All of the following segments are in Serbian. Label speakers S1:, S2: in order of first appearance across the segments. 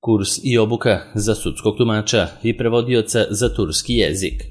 S1: Kurs i obuka za sudskog tumača i prevodioca za turski jezik.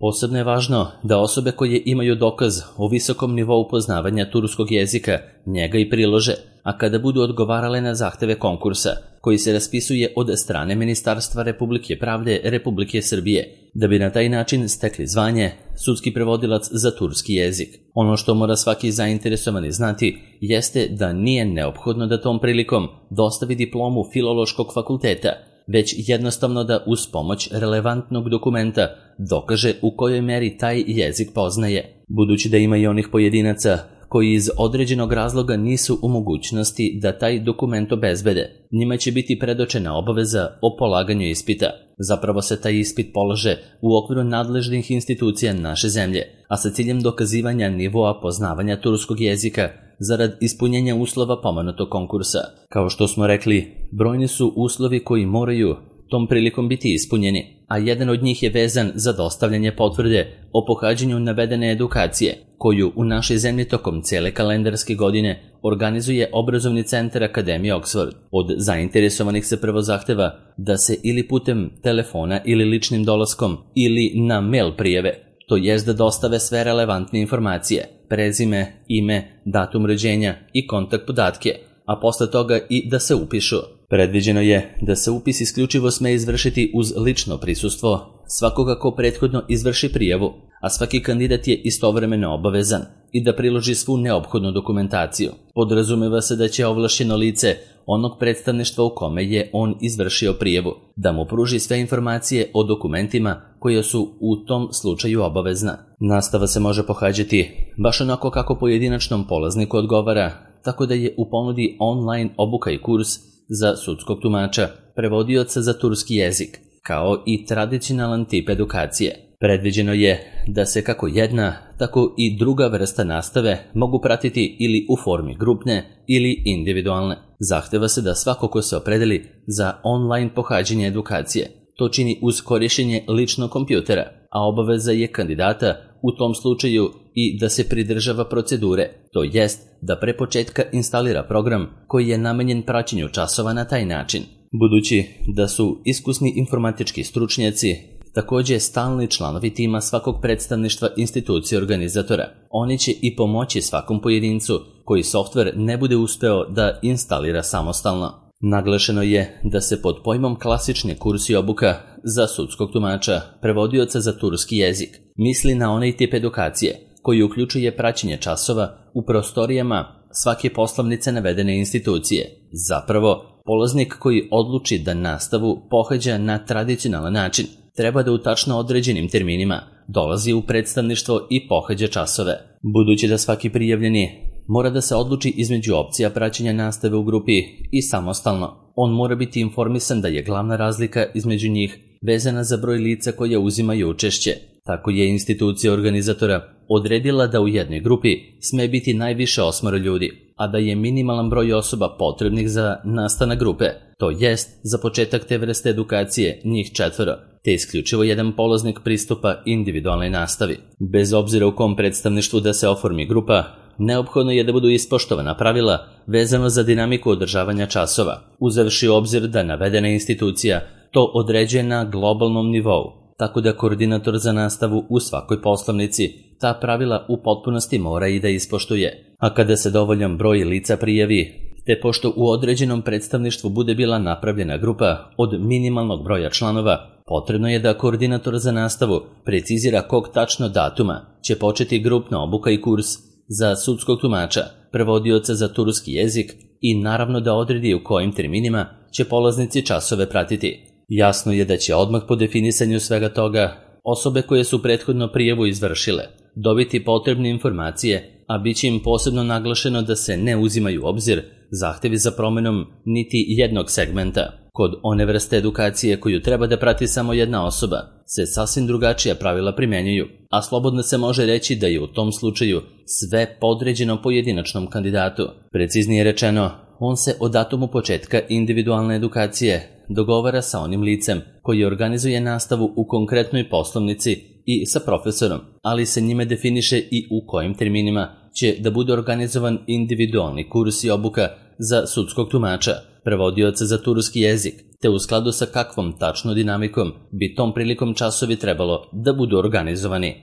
S1: Posebno je važno da osobe koje imaju dokaz o visokom nivou poznavanja turskog jezika njega i prilože, a kada budu odgovarale na zahteve konkursa, koji se raspisuje od strane Ministarstva Republike pravde Republike Srbije, da bi na taj način stekli zvanje sudski prevodilac za turski jezik. Ono što mora svaki zainteresovani znati jeste da nije neophodno da tom prilikom dostavi diplomu Filološkog fakulteta, već jednostavno da uz pomoć relevantnog dokumenta dokaže u kojoj meri taj jezik poznaje. Budući da ima i onih pojedinaca koji iz određenog razloga nisu u mogućnosti da taj dokument obezbede, njima će biti predočena obaveza o polaganju ispita. Zapravo se taj ispit polaže u okviru nadležnih institucija naše zemlje, a sa ciljem dokazivanja nivoa poznavanja turskog jezika zarad ispunjenja uslova pomenutog konkursa. Kao što smo rekli, brojni su uslovi koji moraju tom prilikom biti ispunjeni, a jedan od njih je vezan za dostavljanje potvrde o pohađanju navedene edukacije, koju u našoj zemlji tokom cele kalendarske godine organizuje obrazovni centar Akademije Oxford. Od zainteresovanih se prvo zahteva da se ili putem telefona ili ličnim dolaskom ili na mail prijave, to jest da dostave sve relevantne informacije, prezime, ime, datum rođenja i kontakt podatke, a posle toga i da se upišu. Predviđeno je da se upis isključivo sme izvršiti uz lično prisustvo svakoga ko prethodno izvrši prijavu, a svaki kandidat je istovremeno obavezan i da priloži svu neophodnu dokumentaciju. Podrazumeva se da će ovlašćeno lice onog predstavništva u kome je on izvršio prijavu da mu pruži sve informacije o dokumentima koje su u tom slučaju obavezna. Nastava se može pohađati baš onako kako pojedinačnom polazniku odgovara, tako da je u ponudi online obuka i kurs za sudskog tumača, prevodioca za turski jezik, kao i tradicionalan tip edukacije. Predviđeno je da se kako jedna, tako i druga vrsta nastave mogu pratiti ili u formi grupne ili individualne. Zahteva se da svako ko se opredeli za online pohađanje edukacije to čini uz korišćenje ličnog kompjutera, a obaveza je kandidata u tom slučaju i da se pridržava procedure, to jest da pre početka instalira program koji je namenjen praćenju časova na taj način. Budući da su iskusni informatički stručnjaci takođe stalni članovi tima svakog predstavništva institucije organizatora, oni će i pomoći svakom pojedincu koji softver ne bude uspeo da instalira samostalno. Naglašeno je da se pod pojmom klasični kurs i obuka za sudskog tumača, prevodioca za turski jezik, misli na onaj tip edukacije koji uključuje praćenje časova u prostorijama svake poslovnice navedene institucije. Zapravo, polaznik koji odluči da nastavu pohađa na tradicionalan način, treba da u tačno određenim terminima dolazi u predstavništvo i pohađa časove. Budući da svaki prijavljeni mora da se odluči između opcija praćenja nastave u grupi i samostalno, on mora biti informisan da je glavna razlika između njih vezana za broj lica koja uzimaju učešće. Tako je institucija organizatora odredila da u jednoj grupi sme biti najviše 8 ljudi, a da je minimalan broj osoba potrebnih za nastanak grupe, to jest za početak te vrste edukacije njih 4, te isključivo jedan polaznik pristupa individualnoj nastavi. Bez obzira u kom predstavništvu da se oformi grupa, neophodno je da budu ispoštovana pravila vezano za dinamiku održavanja časova, uzevši u obzir da navedena institucija to određuje na globalnom nivou, tako da koordinator za nastavu u svakoj poslovnici ta pravila u potpunosti mora i da ispoštuje. A kada se dovoljan broj lica prijavi, te pošto u određenom predstavništvu bude bila napravljena grupa od minimalnog broja članova, potrebno je da koordinator za nastavu precizira kog tačno datuma će početi grupna obuka i kurs za sudskog tumača, prevodioca za turski jezik i naravno da odredi u kojim terminima će polaznici časove pratiti. Jasno je da će odmah po definisanju svega toga osobe koje su prethodno prijavu izvršile dobiti potrebne informacije, a bit će im posebno naglašeno da se ne uzimaju u obzir zahtevi za promenom niti jednog segmenta. Kod one vrste edukacije koju treba da prati samo jedna osoba se sasvim drugačija pravila primenjuju, a slobodno se može reći da je u tom slučaju sve podređeno pojedinačnom kandidatu. Preciznije rečeno, on se od datumu početka individualne edukacije dogovara sa onim licem koji organizuje nastavu u konkretnoj poslovnici i sa profesorom, ali se njime definiše i u kojim terminima će da bude organizovan individualni kurs i obuka za sudskog tumača, prevodioca za turski jezik, te u skladu sa kakvom tačno dinamikom bi tom prilikom časovi trebalo da budu organizovani.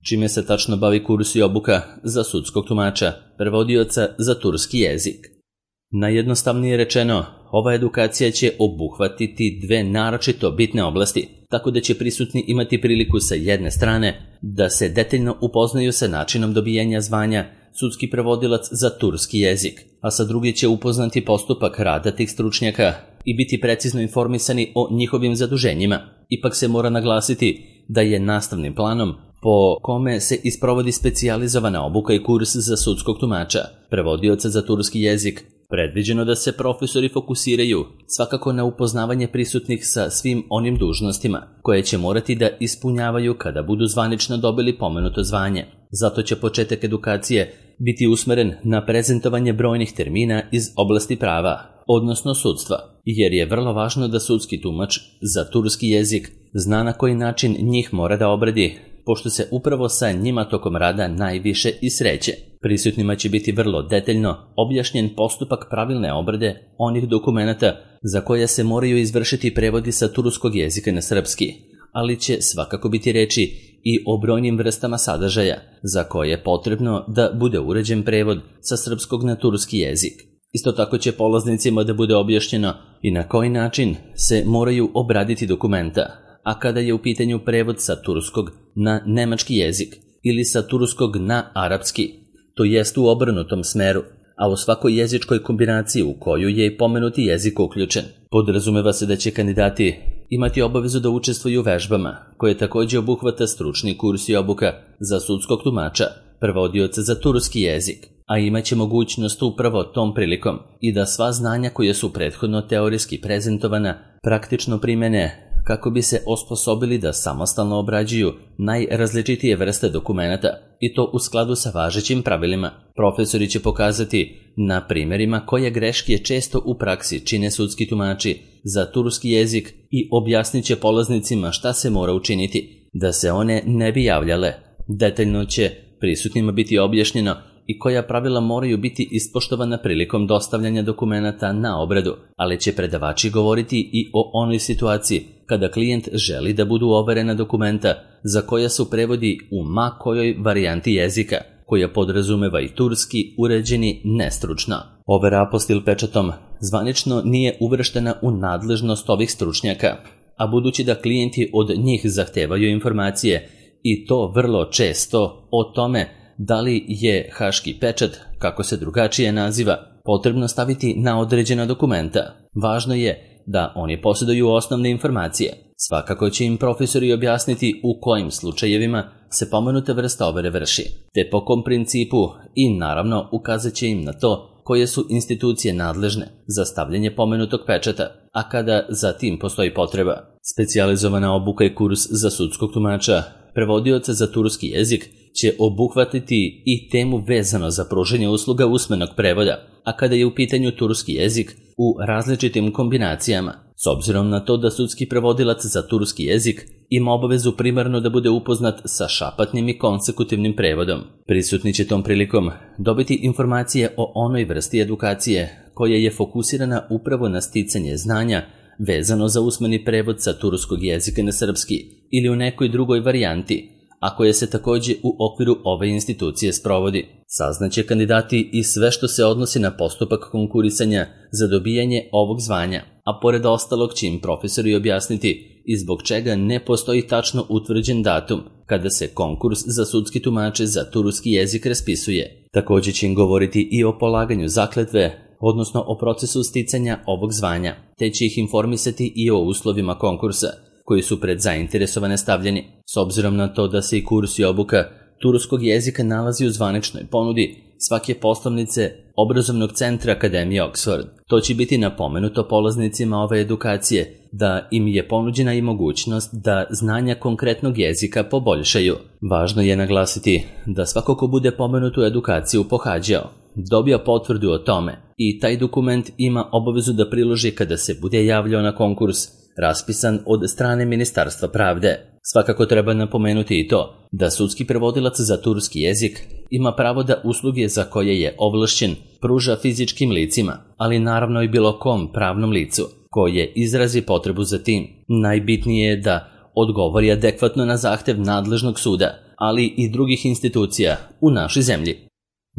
S1: Čime se tačno bavi kurs i obuka za sudskog tumača, prevodioca za turski jezik? Najjednostavnije rečeno, ova edukacija će obuhvatiti dve naročito bitne oblasti, tako da će prisutni imati priliku sa jedne strane da se detaljno upoznaju sa načinom dobijanja zvanja sudski prevodilac za turski jezik, a sa druge će upoznati postupak rada tih stručnjaka i biti precizno informisani o njihovim zaduženjima. Ipak se mora naglasiti da je nastavnim planom po kome se isprovodi specijalizovana obuka i kurs za sudskog tumača, prevodioca za turski jezik, predviđeno da se profesori fokusiraju svakako na upoznavanje prisutnih sa svim onim dužnostima koje će morati da ispunjavaju kada budu zvanično dobili pomenuto zvanje. Zato će početak edukacije biti usmeren na prezentovanje brojnih termina iz oblasti prava, odnosno sudstva, jer je vrlo važno da sudski tumač za turski jezik zna na koji način njih mora da obradi, pošto se upravo sa njima tokom rada najviše i sreće. Prisutnima će biti vrlo detaljno objašnjen postupak pravilne obrade onih dokumenata za koje se moraju izvršiti prevodi sa turskog jezika na srpski, ali će svakako biti reči i o brojnim vrstama sadržaja za koje je potrebno da bude uređen prevod sa srpskog na turski jezik. Isto tako će polaznicima da bude objašnjeno i na koji način se moraju obraditi dokumenta, a kada je u pitanju prevod sa turskog na nemački jezik ili sa turskog na arapski, to jest u obrnutom smeru, a u svakoj jezičkoj kombinaciji u koju je i pomenuti jezik uključen. Podrazumeva se da će kandidati imati obavezu da učestvuju u vežbama, koje također obuhvata stručni kurs i obuka za sudskog tumača, prevodioca za turski jezik, a imaće mogućnost upravo tom prilikom i da sva znanja koje su prethodno teorijski prezentovana praktično primene kako bi se osposobili da samostalno obrađuju najrazličitije vrste dokumenata i to u skladu sa važećim pravilima. Profesori će pokazati na primjerima koje greške često u praksi čine sudski tumači za turski jezik i objasnit će polaznicima šta se mora učiniti da se one ne bi javljale. Detaljno će prisutnima biti objašnjeno i koja pravila moraju biti ispoštovana prilikom dostavljanja dokumenata na obradu, ali će predavači govoriti i o onoj situaciji kada klijent želi da budu overena dokumenta za koja su prevodi u ma kojoj varijanti jezika, koja podrazumeva i turski uređeni nestručno. Overa apostil pečatom zvanično nije uvrštena u nadležnost ovih stručnjaka, a budući da klijenti od njih zahtevaju informacije i to vrlo često o tome da li je haški pečat, kako se drugačije naziva, potrebno staviti na određena dokumenta. Važno je da oni posjeduju osnovne informacije. Svakako će im profesori objasniti u kojim slučajevima se pomenuta vrsta overe vrši, te po kom principu i naravno ukazat će im na to koje su institucije nadležne za stavljanje pomenutog pečata, a kada za tim postoji potreba. Specijalizovana obuka i kurs za sudskog tumača, prevodioca za turski jezik, će obuhvatiti i temu vezano za pružanje usluga usmenog prevoda, a kada je u pitanju turski jezik u različitim kombinacijama, s obzirom na to da sudski prevodilac za turski jezik ima obavezu primarno da bude upoznat sa šapatnim i konsekutivnim prevodom. Prisutni će tom prilikom dobiti informacije o onoj vrsti edukacije koja je fokusirana upravo na sticanje znanja vezano za usmeni prevod sa turskog jezika na srpski ili u nekoj drugoj varijanti, a koje se također u okviru ove institucije sprovodi. Saznaće kandidati i sve što se odnosi na postupak konkurisanja za dobijanje ovog zvanja, a pored ostalog će im profesori objasniti i zbog čega ne postoji tačno utvrđen datum kada se konkurs za sudski tumače za turski jezik raspisuje. Također će im govoriti i o polaganju zakletve, odnosno o procesu sticanja ovog zvanja, te će ih informisati i o uslovima konkursa koji su pred zainteresovane stavljeni. S obzirom na to da se i kurs i obuka turskog jezika nalazi u zvaničnoj ponudi svake poslovnice obrazovnog centra Akademije Oxford, to će biti napomenuto polaznicima ove edukacije da im je ponuđena i mogućnost da znanja konkretnog jezika poboljšaju. Važno je naglasiti da svako ko bude pomenutu edukaciju pohađao, dobija potvrdu o tome i taj dokument ima obavezu da priloži kada se bude javljao na konkurs raspisan od strane Ministarstva pravde. Svakako treba napomenuti i to da sudski prevodilac za turski jezik ima pravo da usluge za koje je ovlašćen pruža fizičkim licima, ali naravno i bilo kom pravnom licu, koje izrazi potrebu za tim. Najbitnije je da odgovori adekvatno na zahtev nadležnog suda, ali i drugih institucija u našoj zemlji.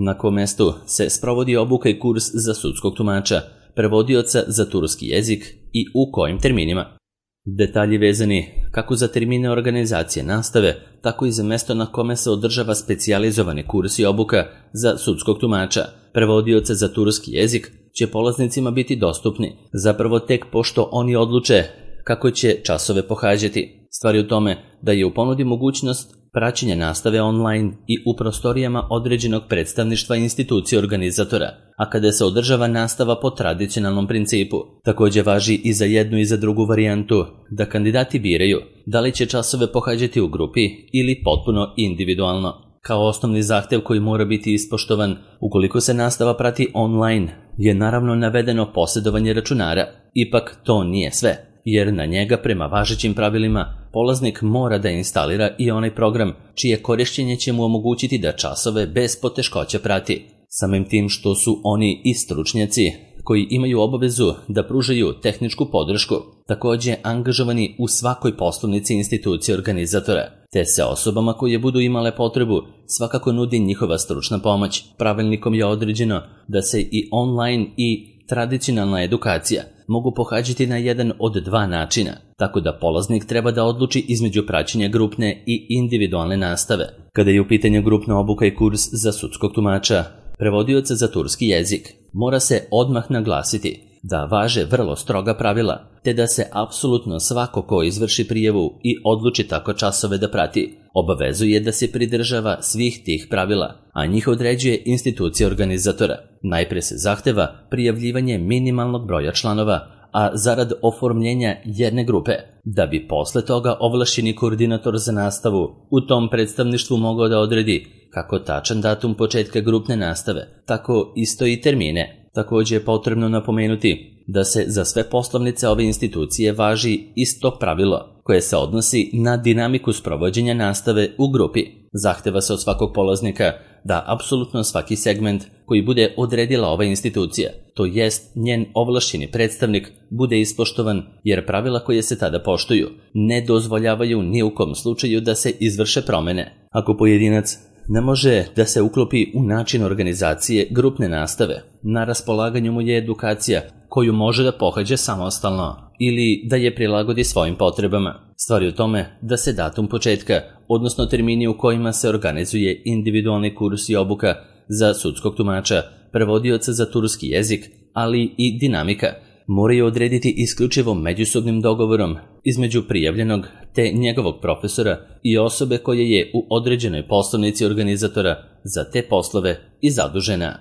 S1: Na kom mestu se sprovodi obuka i kurs za sudskog tumača, prevodioca za turski jezik i u kojim terminima. Detalji vezani kako za termine organizacije nastave, tako i za mesto na kome se održava specijalizovani kurs i obuka za sudskog tumača, prevodioca za turski jezik, će polaznicima biti dostupni, zapravo tek pošto oni odluče kako će časove pohađati. Stvar je u tome da je u ponudi mogućnost praćenja nastave online i u prostorijama određenog predstavništva institucije organizatora, a kada se održava nastava po tradicionalnom principu. Također važi i za jednu i za drugu varijantu, da kandidati biraju da li će časove pohađati u grupi ili potpuno individualno. Kao osnovni zahtev koji mora biti ispoštovan ukoliko se nastava prati online je naravno navedeno posjedovanje računara. Ipak to nije sve, jer na njega prema važećim pravilima polaznik mora da instalira i onaj program čije korišćenje će mu omogućiti da časove bez poteškoća prati. Samim tim što su oni i stručnjaci koji imaju obavezu da pružaju tehničku podršku, također angažovani u svakoj poslovnici institucije organizatora, te se osobama koje budu imale potrebu svakako nudi njihova stručna pomoć. Pravilnikom je određeno da se i online i tradicionalna edukacija mogu pohađati na jedan od dva načina, tako da polaznik treba da odluči između praćenja grupne i individualne nastave. Kada je u pitanju grupna obuka i kurs za sudskog tumača, prevodioca za turski jezik, mora se odmah naglasiti da važe vrlo stroga pravila, te da se apsolutno svako ko izvrši prijavu i odluči tako časove da prati, obavezuje da se pridržava svih tih pravila, a njih određuje institucija organizatora. Najpre se zahteva prijavljivanje minimalnog broja članova, a zarad oformljenja jedne grupe, da bi posle toga ovlašćeni koordinator za nastavu u tom predstavništvu mogao da odredi kako tačan datum početka grupne nastave, tako isto i termine. Također je potrebno napomenuti da se za sve poslovnice ove institucije važi isto pravilo koje se odnosi na dinamiku sprovođenja nastave u grupi. Zahteva se od svakog polaznika da apsolutno svaki segment koji bude odredila ova institucija, to jest njen ovlašćeni predstavnik, bude ispoštovan, jer pravila koje se tada poštuju ne dozvoljavaju ni u kom slučaju da se izvrše promene. Ako pojedinac ne može da se uklopi u način organizacije grupne nastave, na raspolaganju mu je edukacija koju može da pohađa samostalno ili da je prilagodi svojim potrebama. Stvar je u tome da se datum početka, odnosno termini u kojima se organizuje individualni kurs i obuka za sudskog tumača, prevodioca za turski jezik, ali i dinamika, moraju odrediti isključivo međusobnim dogovorom između prijavljenog te njegovog profesora i osobe koja je u određenoj poslovnici organizatora za te poslove i zadužena.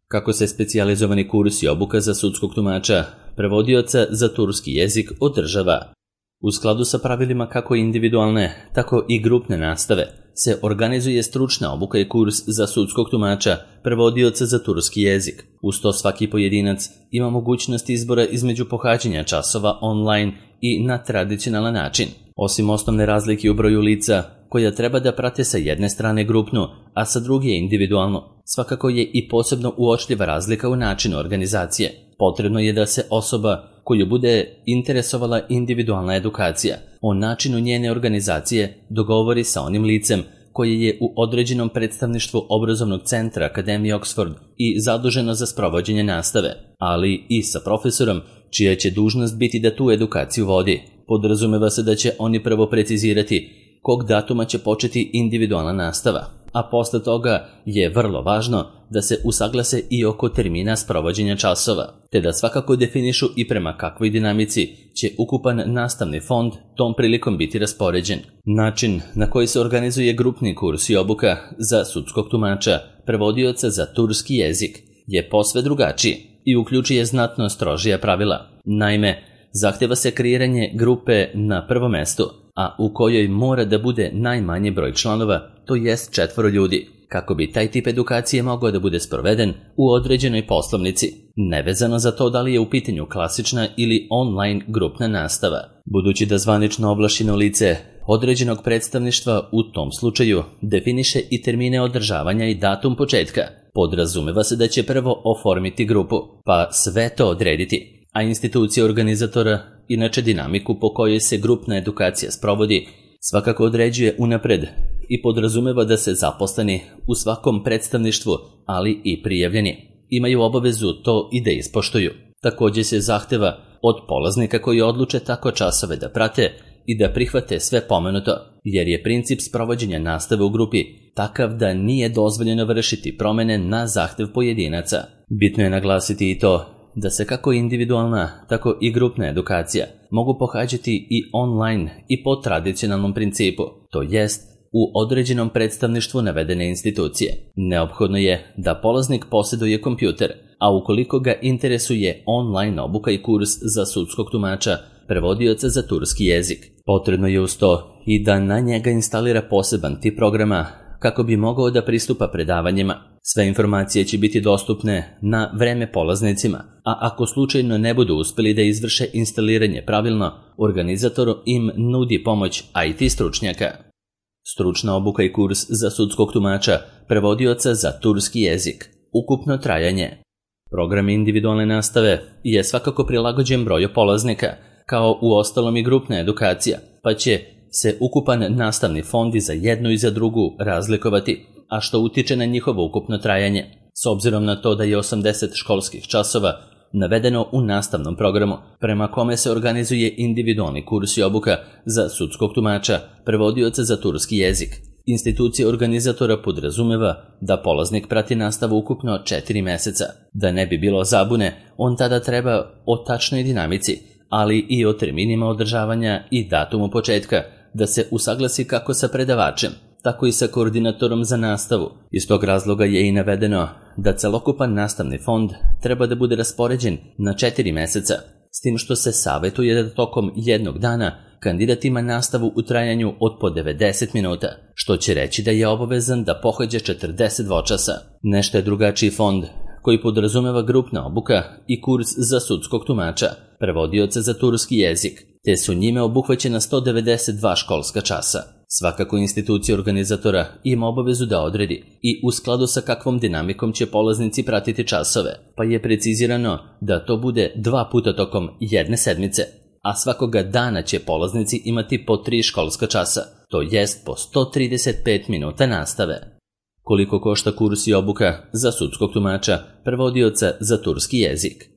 S1: Kako se specijalizovani kurs i obuka za sudskog tumača, prevodioca za turski jezik održava? U skladu sa pravilima kako individualne, tako i grupne nastave se organizuje stručna obuka i kurs za sudskog tumača, prevodioca za turski jezik. Uz to svaki pojedinac ima mogućnost izbora između pohađanja časova online i na tradicionalan način. Osim osnovne razlike u broju lica koja treba da prate sa jedne strane grupnu, a sa druge individualno, svakako je i posebno uočljiva razlika u načinu organizacije. Potrebno je da se osoba koju bude interesovala individualna edukacija o načinu njene organizacije dogovori sa onim licem koje je u određenom predstavništvu obrazovnog centra Akademije Oxford i zaduženo za sprovođenje nastave, ali i sa profesorom čija će dužnost biti da tu edukaciju vodi. Podrazumeva se da će oni prvo precizirati kog datuma će početi individualna nastava, a posle toga je vrlo važno da se usaglase i oko termina sprovođenja časova, te da svakako definišu i prema kakvoj dinamici će ukupan nastavni fond tom prilikom biti raspoređen. Način na koji se organizuje grupni kurs i obuka za sudskog tumača, prevodioca za turski jezik, je posve drugačiji i uključuje znatno strožija pravila. Naime, zahteva se kreiranje grupe na prvom mestu, a u kojoj mora da bude najmanji broj članova, to jest 4 ljudi, kako bi taj tip edukacije mogao da bude sproveden u određenoj poslovnici, nevezano za to da li je u pitanju klasična ili online grupna nastava. Budući da zvanično ovlašćeno lice određenog predstavništva u tom slučaju definiše i termine održavanja i datum početka, podrazumeva se da će prvo oformiti grupu, pa sve to odrediti. a institucija organizatora, inače dinamiku po kojoj se grupna edukacija sprovodi, svakako određuje unapred i podrazumeva da se zaposleni u svakom predstavništvu, ali i prijavljeni, imaju obavezu to i da ispoštuju. Također se zahteva od polaznika koji odluče tako časove da prate i da prihvate sve pomenuto, jer je princip sprovođenja nastave u grupi takav da nije dozvoljeno vršiti promene na zahtev pojedinaca. Bitno je naglasiti i to da se kako individualna, tako i grupna edukacija mogu pohađati i online i po tradicionalnom principu, to jest u određenom predstavništvu navedene institucije. Neophodno je da polaznik posjeduje kompjuter, a ukoliko ga interesuje online obuka i kurs za sudskog tumača, prevodioca za turski jezik, potrebno je uz to i da na njega instalira poseban tip programa kako bi mogao da pristupa predavanjima. Sve informacije će biti dostupne na vreme polaznicima, a ako slučajno ne budu uspjeli da izvrše instaliranje pravilno, organizator im nudi pomoć IT stručnjaka. Stručna obuka i kurs za sudskog tumača, prevodioca za turski jezik. Ukupno trajanje. Program individualne nastave je svakako prilagođen broju polaznika, kao u ostalom i grupna edukacija, pa će se ukupan nastavni fond i za jednu i za drugu razlikovati, a što utiče na njihovo ukupno trajanje. S obzirom na to da je 80 školskih časova navedeno u nastavnom programu, prema kome se organizuje individualni kurs i obuka za sudskog tumača, prevodioca za turski jezik. Institucija organizatora podrazumeva da polaznik prati nastavu ukupno 4 meseca. Da ne bi bilo zabune, on tada treba o tačnoj dinamici, ali i o terminima održavanja i datumu početka, da se usaglasi kako sa predavačem, tako i sa koordinatorom za nastavu. Iz tog razloga je i navedeno da celokupan nastavni fond treba da bude raspoređen na 4 meseca, s tim što se savjetuje da tokom jednog dana kandidat ima nastavu u trajanju od po 90 minuta, što će reći da je obavezan da pohađa 42 časa. Nešto je drugačiji fond koji podrazumeva grupna obuka i kurs za sudskog tumača, prevodioca za turski jezik, te su njime obuhvaćena 192 školska časa. Svakako institucija organizatora ima obavezu da odredi i u skladu sa kakvom dinamikom će polaznici pratiti časove, pa je precizirano da to bude 2 puta tokom jedne sedmice, a svakoga dana će polaznici imati po 3 školska časa, to jest po 135 minuta nastave. Koliko košta kurs i obuka za sudskog tumača, prevodioca za turski jezik?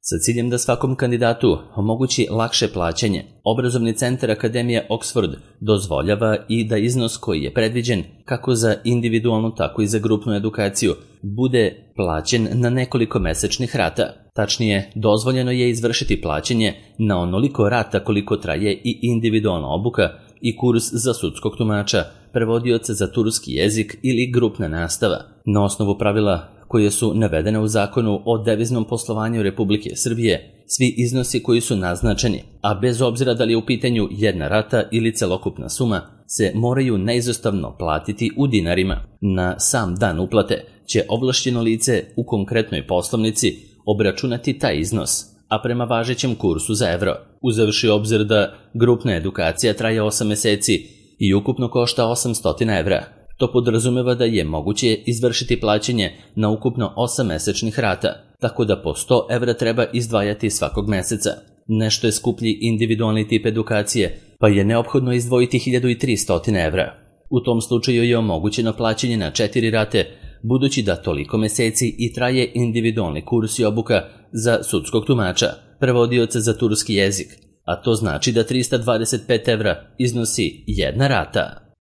S1: Sa ciljem da svakom kandidatu omogući lakše plaćanje, obrazovni centar Akademije Oxford dozvoljava i da iznos koji je predviđen kako za individualnu tako i za grupnu edukaciju bude plaćen na nekoliko mesečnih rata. Tačnije, dozvoljeno je izvršiti plaćanje na onoliko rata koliko traje i individualna obuka i kurs za sudskog tumača, prevodioca za turski jezik ili grupna nastava. Na osnovu pravila koje su navedene u Zakonu o deviznom poslovanju Republike Srbije, svi iznosi koji su naznačeni, a bez obzira da li je u pitanju jedna rata ili celokupna suma, se moraju neizostavno platiti u dinarima. Na sam dan uplate će ovlašćeno lice u konkretnoj poslovnici obračunati taj iznos, a prema važećem kursu za evro, uzevši obzir da grupna edukacija traje 8 meseci i ukupno košta 800 evra. To podrazumeva da je moguće izvršiti plaćanje na ukupno 8 mesečnih rata, tako da po 100 evra treba izdvajati svakog meseca. Nešto je skuplji individualni tip edukacije, pa je neophodno izdvojiti 1300 evra. U tom slučaju je omogućeno plaćanje na 4 rate, budući da toliko meseci i traje individualni kurs i obuka za sudskog tumača, prevodioca za turski jezik, a to znači da 325 evra iznosi jedna rata.